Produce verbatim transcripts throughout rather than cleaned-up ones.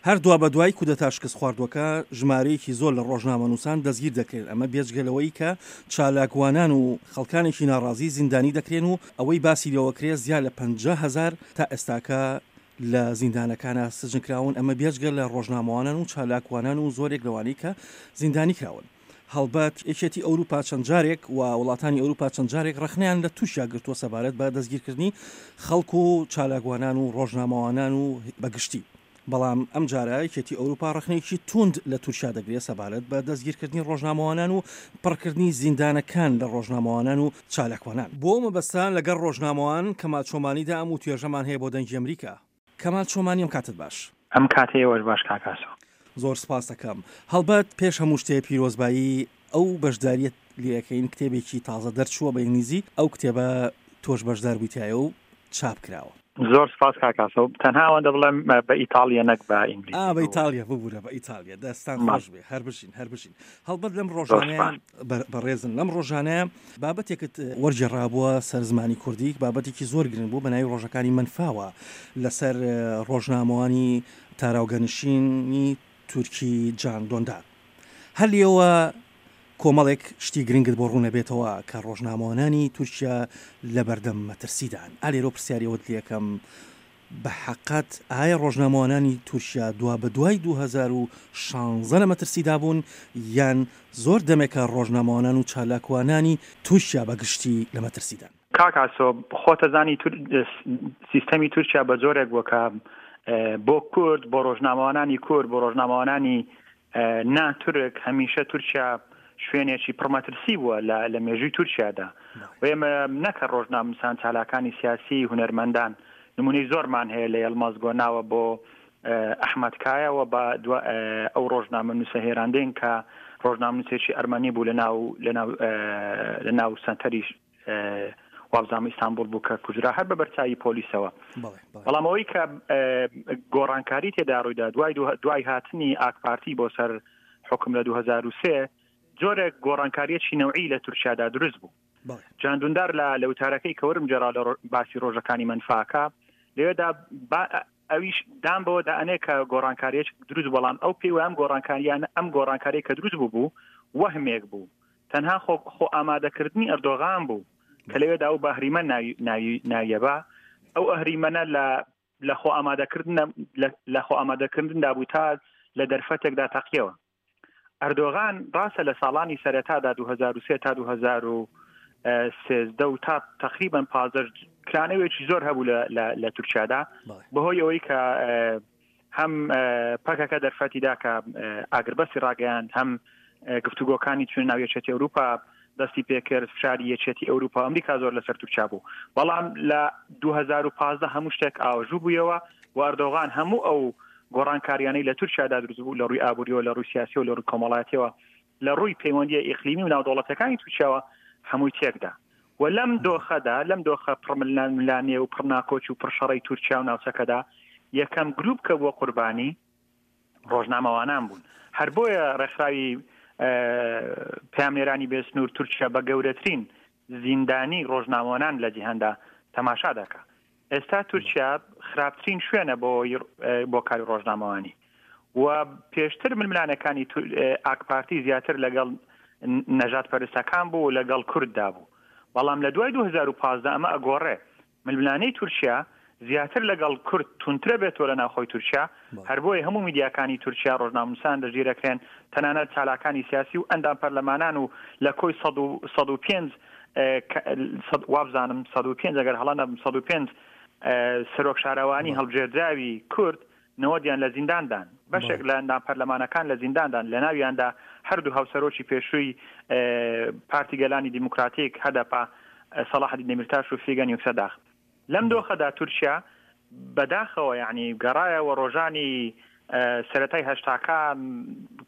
هەر دوابەدوای کودەتا شکستخواردووەکە ژمارەیەکی زۆر لە ڕۆژنامەنووسان دەستگیر دەکرێن، ئەمە بێجگە لەوەی کە چالاکوانان و خەڵکانێکی ناڕازی زیندانی دەکرێن و ئەوەی باسی لێوەکرێ زیاد لە پەنجا هەزار تا ئێستاکە لە زیندانەکانە سجن کراون، ئەمە بێجگە لە ڕۆژنامەوانان و چالاکوانان و زۆرێک لەوانەی کە زیندانی کراون. هەڵبەت یەکێتی ئەوروپا چەند جارێک و وڵاتانی ئەوروپا چەند جارێک ڕەخنەیان لە تورکیا گرتووە سەبارەت بە دەستگیرکردنی خەڵک و چالاکوانان و ڕۆژنامەوانان و بەگشتی، بەڵام ئەم جارە یەکێتی ئەوروپا ڕەخنەیەکی توند لە تورکیا دەگرێت سەبارەت بە دەستگیرکردنی ڕۆژنامەوانان و پڕکردنی زیندانەکان لە ڕۆژنامەوانان و چالاکوانان. بۆ مەبەستان لەگەڵ ڕۆژنامەوان کەمال چۆمانیدا ئەم وتوێژەمان هەیە بۆ دەنگی ئەمریکا. کەمال چۆمانی، ئەم کاتت باش. ئەم کاتەی ئێوەش باش کاک ئاسۆ. زۆر سپاس دەکەم. هەڵبەت پێش هەموو شتێ پیرۆزبایی ئەو بەشداریت لێەکەین، کتێبێکی تازە دەرچووە بە ئینگلیزی، ئەو کتێبە تۆش بەشدار بوویتایە و چاپ کراوە. زۆر سپاس کاک ئاسۆ. تەنها ئەوەندە بڵێم بە ئیتاڵیە نەک بە ئینگلیزی. ئا، بە ئیتاڵیە، ببوورە، بە ئیتاڵیە. دەستان خۆش بێ، هەر بژین، هەر بژین. هەڵبەت لەم ڕۆژانەیە بەڕێزن، لەم ڕۆژانەیە بابەتێکت وەرگێڕابووە سەر زمانی کوردی، بابەتێکی زۆر گرنگ بوو بە ناوی ڕۆژەکانی مەنفاوە لەسەر ڕۆژنامەوانی تاراوگەنشینی تورکی جان دۆندار. هەر لێوە کۆمەڵێک شتی گرنگت بۆ ڕوونەبێتەوە کە ڕۆژنامەوانانی تورکیا لە بەردەم مەترسیدان. ئالێرۆ پرسیاری ئەوەت لێکەم، بە حەقەت ئایا ڕۆژنامەوانانی تورکیا دوا بە دوای دوو هەزار و شانزە لە مەترسیدا بوون یان زۆر دەمێکە ڕۆژنامەوانان و چالاکوانانی تورکیا بەگشتی لە مەترسیدان؟ کاک ئاسۆ، خۆتەزانی سیستەمی تورکیا بە جۆرێک بووە کە بۆ کورد، بۆ ڕۆژنامەوانانی کورد، بۆ ڕۆژنامەوانانی ناتورک هەمیشە تورکیا شوێنێکی پڕمەترسی بووە لە مێژووی تورکیادا. و ئێمە نەکە ڕۆژنامەنووسان، چالاکانی سیاسی، هونەرمەندان، نمونەی زۆرمان هەیە لە یەڵماز گۆناوە بۆ ئەحمەد کایەوە بە ئەو ڕۆژنامەنووسە هێراندێن کە ڕۆژنامەنووسێکی ئەرمەنی بوو لە ناو سەنتەری وابزانم ئیستانبوڵ بوو کە کوژرا هەر بە بەرچاوی پۆلیسەوە. بەڵام ئەوەی کە گۆڕانکاری تێدا ڕوویدا دوای دوای هاتنی ئاک پارتی بۆ سەر حکم لە دوو هەزار و سێ، جۆرێک گۆڕانکاریەکی نەوعی لە تورکیادا دروست بوو. جان دوندار لە وتارەکەی کە وەرم جێرا لە باسی ڕۆژەکانی مەنفاکە لەوێدا ئەویش دام بەوە دائەنێ کە گۆڕانکاریەک دروست، بەڵام ئەو پێی وایە ئەم گۆڕانکاریانە ئەم گۆڕانکاری کە دروست بوو بوو وەهمێک بوو، تەنها خۆ خۆ ئامادەکردنی ئەردۆغان بوو کە لەوێدا ئەو بە ئەهریمەن ناویە بە ئەو ئەهریمەنە لە خۆ ئامادەکردن لە خۆ ئامادەکردندا بوو تا لە دەرفەتێکدا تەقیەوە. ئەردۆغان ڕاستە لە ساڵانی سەرەتادا دوو هەزار و سێ تا دوو هەزار و سێزدە و تا تقریبا پازدە کرانەوەیەکی زۆر هەبوو لە تورکیادا، بەهۆی ئەوەی کە هەم پەکەکە دەرفەتیدا کە ئاگربەستی ڕاگەیاند، هەم گفتوگۆکانی چوون ناو یەکێتی ئەوروپا دەستی پێکرد، فشاری یەکێتی ئەوروپا ئەمریکا زۆر لەسەر تورکیا بوو. بەڵام لە دوو هەزار و پازدە هەموو شتێک ئاوەژوو بوویەوە و ئەردۆغان هەموو ئەو گۆڕانکاریانەی لە تورکیادا دروست بوو لە ڕووی ئابووریەوە، لە ڕووی سیاسیەوە، لە ڕووی کۆمەڵایەتیەوە، لە ڕووی پەیوەندیە ئیقلیمی و ناودەوڵەتەکانی تورکیاوە هەمووی تێکدا. و لەم دۆخەدا، لەم دۆخە پڕململانێ و پڕناکۆچ و پڕشەڕەی تورکیا و ناوچەکەدا، یەکەم گروپ کە بووە قوربانی ڕۆژنامەوانان بوون. هەر بۆیە ڕێکخراوی پەیامنێرانی بێسنوور تورکیا بە گەورەترین زیندانی ڕۆژنامەوانان لە جیهاندا تەماشا دەکا. ئێستا تورکیا خراپترین شوێنە بۆ بۆ کاری ڕۆژنامەوانی و پێشتر ململانەکانی ئاک پارتی زیاتر لەگەڵ نەژاد پەرستەکان بوو و لەگەڵ کورددا بوو، بەڵام لە دوای دوو هەزار و پازدە ئەمە ئەگۆڕێ. ململانەی تورکیا زیاتر لەگەڵ کورد تونترە بێتەوە لە ناوخۆی تورکیا. هەر بۆیە هەموو میدیاکانی تورکیا ڕۆژنامەنووسان دەستگیرەکرێن، تەنانەت چالاکانی سیاسی و ئەندام پەرلەمانان و لە کۆی سەد و پێنج وابزانم سەد و پێنج ئەگەر هەڵە نەبم سەد و پێنج سەرۆک شارەوانی هەڵبژێردراوی کورد نەوەدیان لە زینداندان، بەشێک لە ئەندام پەرلەمانەکان لە زینداندان، لە ناویاندا هەردوو هاوسەرۆکی پێشووی پارتی گەلانی دیموکراتیک هەدەپە سەڵاحەدین دەمیرتاش و فیگەن یوکسەداغ. لەم دۆخەدا تورکیا بەداخەوە یعنی گەڕایەوە ڕۆژانی سەرەتای هەشتاکان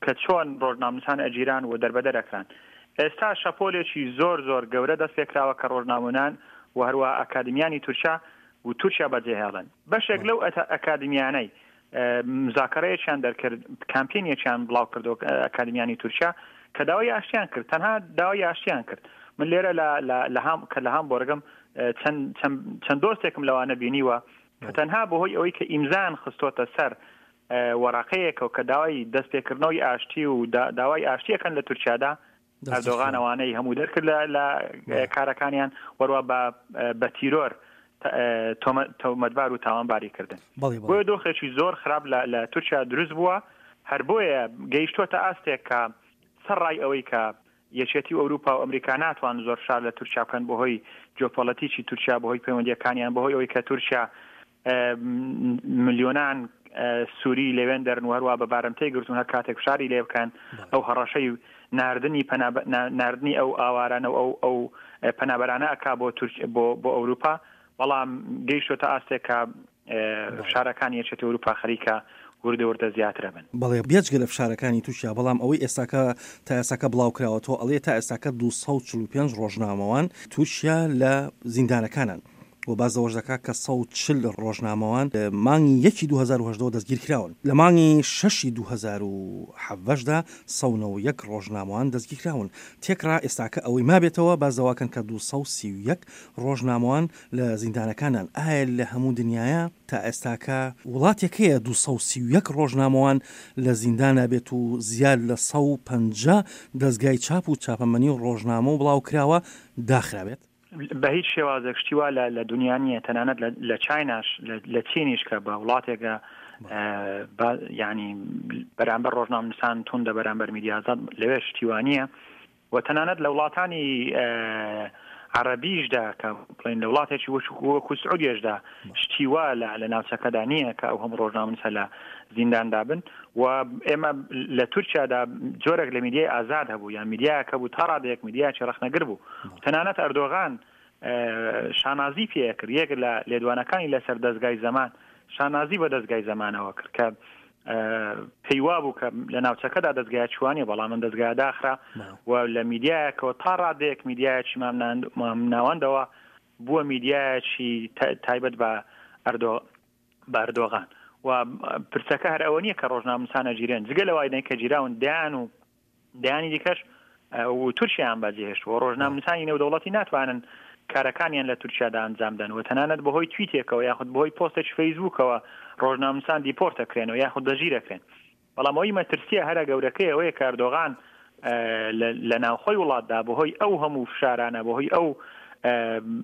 کە چۆن ڕۆژنامەنووسان ئەگیران و دەربەدەر ئەکران. ئێستا شەپۆلێکی زۆر زۆر گەورە دەست پێکراوە کە ڕۆژنامەنان و هەروە ئەکادمیانی تورکیا و تورکیا بەجێهێڵن. بەشێک لەو ئەکادمیانەی مزاکەرەیەکیان دەرکرد، کامپینێکیان بڵاو کردەوە ئەکادمیانی تورکیا کە داوای ئاشتیان کرد، تەنها داوای ئاشتیان کرد. من لێرە لە هام کە لە هامبۆرگم چەند دۆستێکم لەوانە بینیوە کە تەنها بەهۆی ئەوەی کە ئیمزان خستۆتە سەر وەراقەیەکەوە کە داوای دەستپێکردنەوەی ئاشتی و داوای ئاشتیەکەن لە تورکیادا، ئەردۆغان ئەوانەی هەموو دەرکرد لە کارەکانیان، وەروە بە تیرۆر تۆمەتبار و تاوانباری کردن. بۆیە دۆخێکی زۆر خراپ لە تورکیا دروست بووە. هەر بۆیە گەیشتووەتە ئاستێک کە سەرڕای ئەوەی کە یەکێتی و ئەوروپا و ئەمریکا ناتوان زۆر فشار لە تورکیا بکەن بەهۆی جیۆپۆلەتیکی تورکیا، بەهۆی پەیوەندیەکانیان، بەهۆی ئەوەی کە تورکیا ملیۆنان سووری لەوێن دەرن و هەروە بە بارمتەی گرتون هەر کاتێک فشاری لێ بکەن، ئەو هەڕەشەی ناردنی ناردنی ئەو ئاوارانە و ئەو ئەو پەنابەرانە ئەکا بۆ بۆ بۆ ئەوروپا. بەڵام گەیشتۆتە ئاستێک کە فشارەکانی یەکێتی ئەوروپا خەریکە وردە وردە زیاترە بن. بەڵێ، بێجگە لە فشارەکانی تورکیا، بەڵام ئەوەی ئێستاکە تا ئێستاکە بڵاو کراوەتەوە ئەڵێ تا ئێستاکە دوو سەد و چل و پێنج ڕۆژنامەوان تورکیا لە زیندانەکانن و باز لەوەش دەکات کە سەد و چل ڕۆژنامەوان مانگی یەکی دوو هەزار و هەژدەوە دەستگیر کراون. لە مانگی شەشی دوو هەزار و حەڤدەشدا سەد و نەوەد و یەک ڕۆژنامەوان دەستگیر کراون. تێکڕا ئێستاکە ئەوەی مابێتەوە باز دەواکەن کە دوو سەد و سی و یەک ڕۆژنامەوان لە زیندانەکانن. ئایا لە هەموو دنیاە تا ئێستاکە وڵاتێک هەیە دوو سەد و سی و یەک ڕۆژنامەوان لە زیندانە بێت و زیاد لە سەد و پەنجا دەستگای چاپ و چاپەمەنی و ڕۆژنامە و بڵاو کراوە داخرابێت؟ بە هیچ شێوازێک شتی وا لە دنیا نییە، تەنانەت لە چیناش لە چینیش کە بە وڵاتێکە ینی بەرامبەر ڕۆژنامەنووسان توندە بەرامبەر میدیا ئازاد، لەوێ شتی وا نییە. و تەنانەت لە وڵاتانی عەرەبیشدا کە بڵێن لە وڵاتێکی وەکو سعودیەشدا شتی وا لە ناوچەکەدا نییە کە ئەو هەموو ڕۆژنامەنووسە لە زینداندا بن. و ئێمە لە تورکیادا جۆرێک لە میدیای ئازاد هەبوو، یان میدیایەک هەبوو تا ڕادەیەک میدیایەکی ڕەخنەگر بوو. تەنانەت ئەردۆغان شانازی پێکرد، یەک لە لێدوانەکانی لەسەر دەستگای زەمان شانازی بە دەستگای زەمانەوە کرد کە پێیوا بوو کە لە ناوچەکەدا دەستگای چوانیە، بەڵام من دەستگای داخرا و لە میدیایەکەوە تا ڕادەیەک میدیایەکی مامناوەندەوە بووە میدیایەکی تایبەت بە بە ئەردۆغان. و پرسەکە هەر ئەوە نییە کە ڕۆژنامەنووسانە گیرێن، جگە لەوای کە گیراون دەیان و دەیانی دیکەش و تورکیان بەجێهێشتووە. ڕۆژنامەنووسانی نێودەوڵەتی ناتوانن کارەکانیان لە تورکیادا ئەنجام دەن و تەنانەت بەهۆی تویتێکەوە یاخود بەهۆی پۆستێکی فەیسبووکەوە ڕۆژنامەنووسان دیپۆرتەکرێنەوە یاخود دەژیرەکرێن. بەڵام ئەوەی مەترسیە هەرە گەورەکەی ئەوەیە کە ئەردۆغان لە ناوخۆی وڵاتدا بەهۆی ئەو هەموو فشارانە، بەهۆی ئەو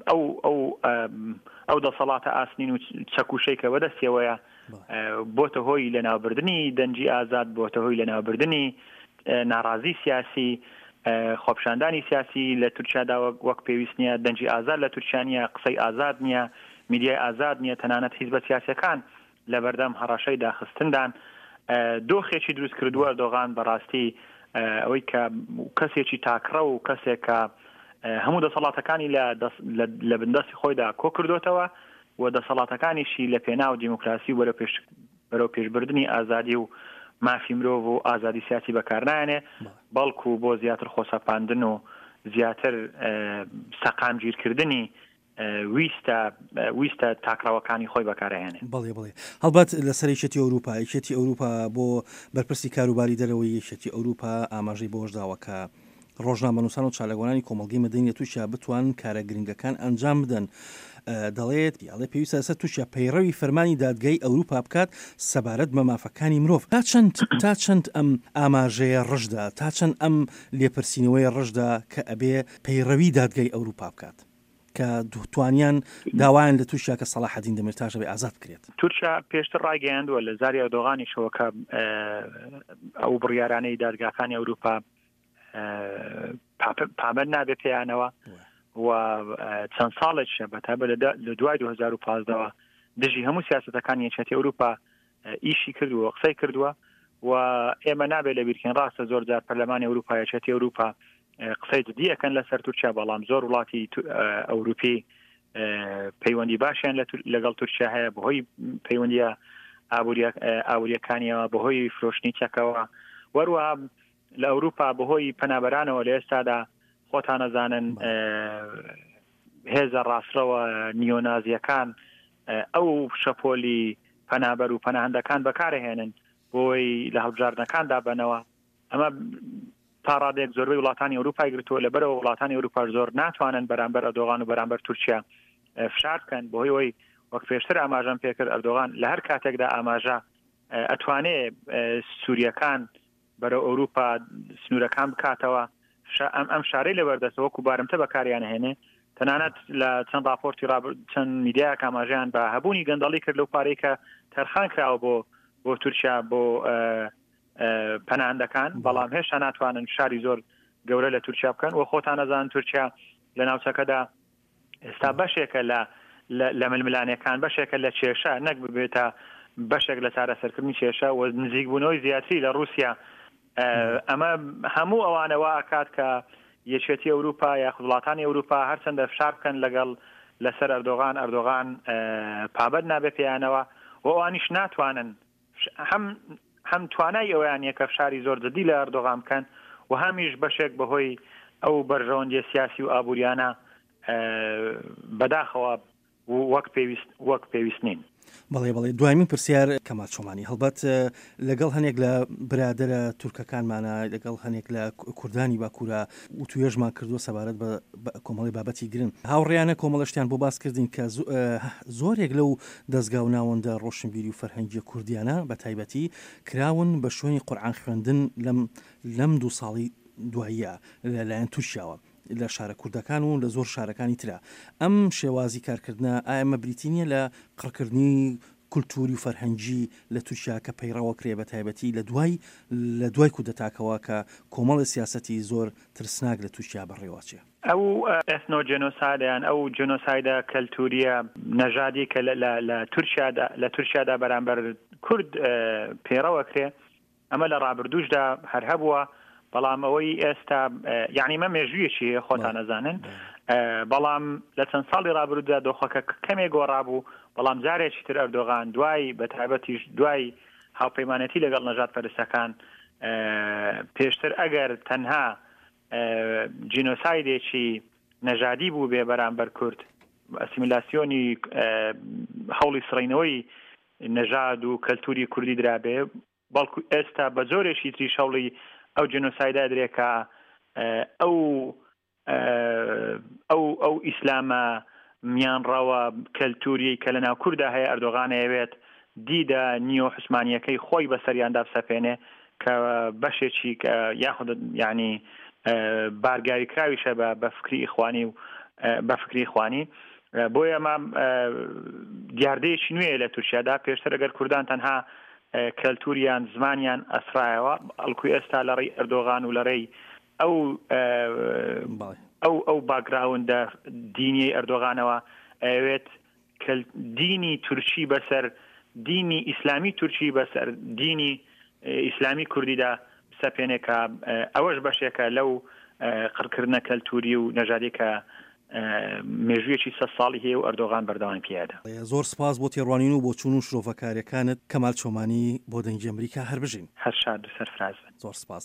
ئەو ئەو ئەو دەسەڵاتە ئاسنین و چەکوشەی کە بەدەستیەوەیە بۆتە هۆی لەناوبردنی دەنگی ئازاد، بۆتە هۆی لەناوبردنی ناڕازی سیاسی، خۆپیشاندانی سیاسی لە تورکیادا وەک پێویست نییە، دەنگی ئازاد لە تورکیا نییە، قسەی ئازاد نییە، میدیای ئازاد نییە، تەنانەت حیزبە سیاسیەکان لەبەردەم هەڕەشەی داخستندان. دۆخێکی دروست کردووە ئەردۆغان بەڕاستی ئەوەی کە کەسێکی تاکڕە و کەسێک کە هەموو دەسەڵاتەکانی لە بندەستی خۆیدا کۆ کردوتەوە و دەسەڵاتەکانیشی لە پێناو دیموکراسی و بەرەو پێشبردنی ئازادی و مافی مرۆڤ و ئازادی سیاسی بەکارنایەنێ، بەڵکو بۆ زیاتر خۆسەپاندن و زیاتر سەقامگیرکردنی ویستە ویستە تاکڕەوەکانی خۆی بەکارهێنێ. بەڵێ بەڵێ، هەڵبەت لەسەر یەکێتی ئەوروپا، یەکێتی ئەوروپا بۆ بەرپرسی کاروباری دەرەوەی یەکێتی ئەوروپا ئاماژەی بەوەش داوە کە ڕۆژنامەنووسان و چالاکوانانی کۆمەڵگەی مەدەنی لە تورکیا بتوانن کارە گرنگەکان ئەنجام بدەن. دەڵێت ئەڵێ پێویستە لەسەر تورکیا پەیڕەوی فەرمانی دادگای ئەوروپا بکات سەبارەت بە مافەکانی مرۆڤ. تا چەند تا چەند ئەم ئاماژەیە ڕژدا، تا چەند ئەم لێپرسینەوەی ڕژدا کە ئەبێ پەیڕەوی دادگای ئەوروپا بکات کە توانیان داوایان لە تورکیا کە سەلاحەدین دەمیرتاش بێ ئازاد بکرێت؟ تورکیا پێشتر ڕایگەیاندووە لە زاری ئەردۆغانیشەوە کە ئەو بڕیارانەی دادگاکانی ئەوروپا پابەند نابێت پێیانەوە و چەند ساڵێکیشە بەتایبەت لە دوای دوو هەزار و پازدەوە دژی هەموو سیاسەتەکانی یەکێتی ئەوروپا ئیشی کردووە، قسەی کردووە و ئێمە نابێت لەبیرکەین ڕاستە زۆر جار پەرلەمانی ئەوروپا یەکێتی ئەوروپا قسەی جدی ئەکەن لەسەر تورکیا، بەڵام زۆر وڵاتی ئەوروپی پەیوەندی باشیان لەگەڵ تورکیا هەیە بەهۆی پەیوەندیە ئابووریەکانیەوە، بەهۆی فرۆشتنی چەکەوە، وەروەها لە ئەوروپا بەهۆی پەنابەرانەوە لە ئێستادا خۆتان نەزانن هێزە ڕاستڕەوە نیۆنازیەکان ئەو شەپۆلی پەنابەر و پەناهەندەکان بەکارهێنن بۆی لە هەڵبژاردنەکاندا بەنەوە. ئەمە تا ڕادەیەک زۆربەی وڵاتانی ئەوروپای گرتووە، لەبەرەوە وڵاتانی ئەوروپاش زۆر ناتوانن بەرامبەر ئەردۆغان و بەرامبەر تورکیا فشار بکەن، بەهۆی ئەوەی وەک پێشتر ئاماژەم پێکرد ئەردۆغان لە هەر کاتێکدا ئاماژە ئەتوانێ سووریەکان بەرەو ئەوروپا سنوورەکان بکاتەوە، ئەم ئەم شارەی لەبەردەستە وەکو بارمتە بەکاریان هێنێ. تەنانەت لە چەند راپۆرتی چەند میدیایەک ئاماژەیان بە هەبوونی گەندەڵی کرد لەو پارەی کە تەرخان کراوە بۆ بۆ تورکیا بۆ پەناهەندەکان، بەڵام هێشتا ناتوانن شاری زۆر گەورە لە تورکیا بکەن و خۆتان نەزان تورکیا لە ناوچەکەدا ئێستا بەشێکە لە لە ململانێکان، بەشێکە لە کێشە، نەک ببێتە بەشێک لە چارەسەرکردنی کێشە و نزیکبوونەوەی زیاتری لە رووسیا. ئەمە هەموو ئەوانە وا ئەکات کە یەکێتی ئەوروپا یاخود وڵاتانی ئەوروپا هەرچەندە فشار بکەن لەگەڵ لەسەر ئەردۆغان، ئەردۆغان پابەند نابێ پێیانەوە و ئەوانیش ناتوانن هەم هەم توانای ئەویان نییە کە فشاری زۆر جدی لە ئەردۆغان بکەن و هەمیش بەشێک بەهۆی ئەو بەرژەوەندیە سیاسی و ئابووریانە بەداخەوە وەک پێویست وەک پێویست نین. بەڵێ بەڵێ دوایمین پرسیار کەمال چۆمانی، هەڵبەت لەگەڵ هەنێک لە برادەرە تورکەکانمانە، لەگەڵ هەنێک لە کوردانی باکوورە وتوێژمان کردووە سەبارەت بە کۆمەڵی بابەتی گرنگ. هاوڕێیانە کۆمەڵەشتیان بۆ باس کردین کە زۆرێک لەو دەزگا و ناوەندە ڕۆشنبیری و فەرهەنگیە کوردیانە بە تایبەتی کراون بە شوێنی قورئان خوێندن لەم لەم دوو ساڵی دواییە لەلایەن تورکیاوە لە شارە کوردەکان و لە زۆر شارەکانی ترە. ئەم شێوازی کارکردنە ئایا ئەمە بریتی نییە لە قڕکردنی کولتوری و فەرهەنگی لە تورکیا کە پەیڕەوە کرێ بە تایبەتی لە دوای لە دوای کودەتاکەوە کە کۆمەڵی سیاسەتی زۆر ترسناک لە تورکیا بەڕێوەچێ؟ ئەو ئێثنۆجێنۆسایدە یان ئەو جێنۆسایدە کەلتوریە نەژادی کە لە تورکیادا لە تورکیادا بەرامبەر کورد پەیڕەوە کرێ، ئەمە لە ڕابردووشدا هەر هەبووە، بەڵام ئەوەی ئێستا یعنی مە مێژوویەکی هەیە خۆتان ئەزانن، بەڵام لە چەند ساڵی ڕابردوودا دۆخەکە کەمێک گۆڕابوو، بەڵام جارێکی تر ئەردۆغان دوای بە تایبەتیش دوای هاوپەیمانێتی لەگەڵ نەژاد پەرستەکان، پێشتر ئەگەر تەنها جینۆسایدێکی نەژادی بوو بێ بەرامبەر کورد، ئەسیمیلاسیۆنی هەوڵی سڕینەوەی نەژاد و کەلتوری کوردی درابێ، بەڵکو ئێستا بە جۆرێکی تریش هەوڵی ئەو جینۆسایدا درێ کە ئەو ئەو ئەو ئیسلامە میانڕەوە کەلتوریەی کە لە ناو کووردا هەیە ئەردۆغان ئەیەوێت دیدە نیۆ عوسمانیەکەی خۆی بەسەریاندا بسەپێنێ کە بەشێکی یاخود یعنی بارگاوی کراویشە بە بە فکری ئیخوانی و بە فکری ئیخوانی. بۆیە ئەمە دیاردەیەکی نوێیە لە تورکیادا. پێشتر ئەگەر کوردان تەنها کەلتوریان زمانیان ئەسرایەوە، ئەڵکو ئێستا لە ڕێی ئەردۆغان و لە ڕێی ئەو ئەو ئەو باکگراوندە دینیەی ئەردۆغانەوە ئەوێت دینی تورکی بەسەر دینی ئیسلامی تورکی بەسەر دینی ئیسلامی کوردیدا بسەپێنێ کە ئەوەش بەشێکە لەو قڕکردنە کەلتوری و نەژادی کە مێژوویەکی سەد ساڵی هەیە و ئەردۆغان بەردەوام پیادا. زۆر سپاس بۆ تێڕوانین و بۆچوون و شرۆڤەکاریەکانت کەمال چۆمانی بۆ دەنگی ئەمریکا. هەر بژین. هەر شاد و سەرفراز بن. زۆر سپاس.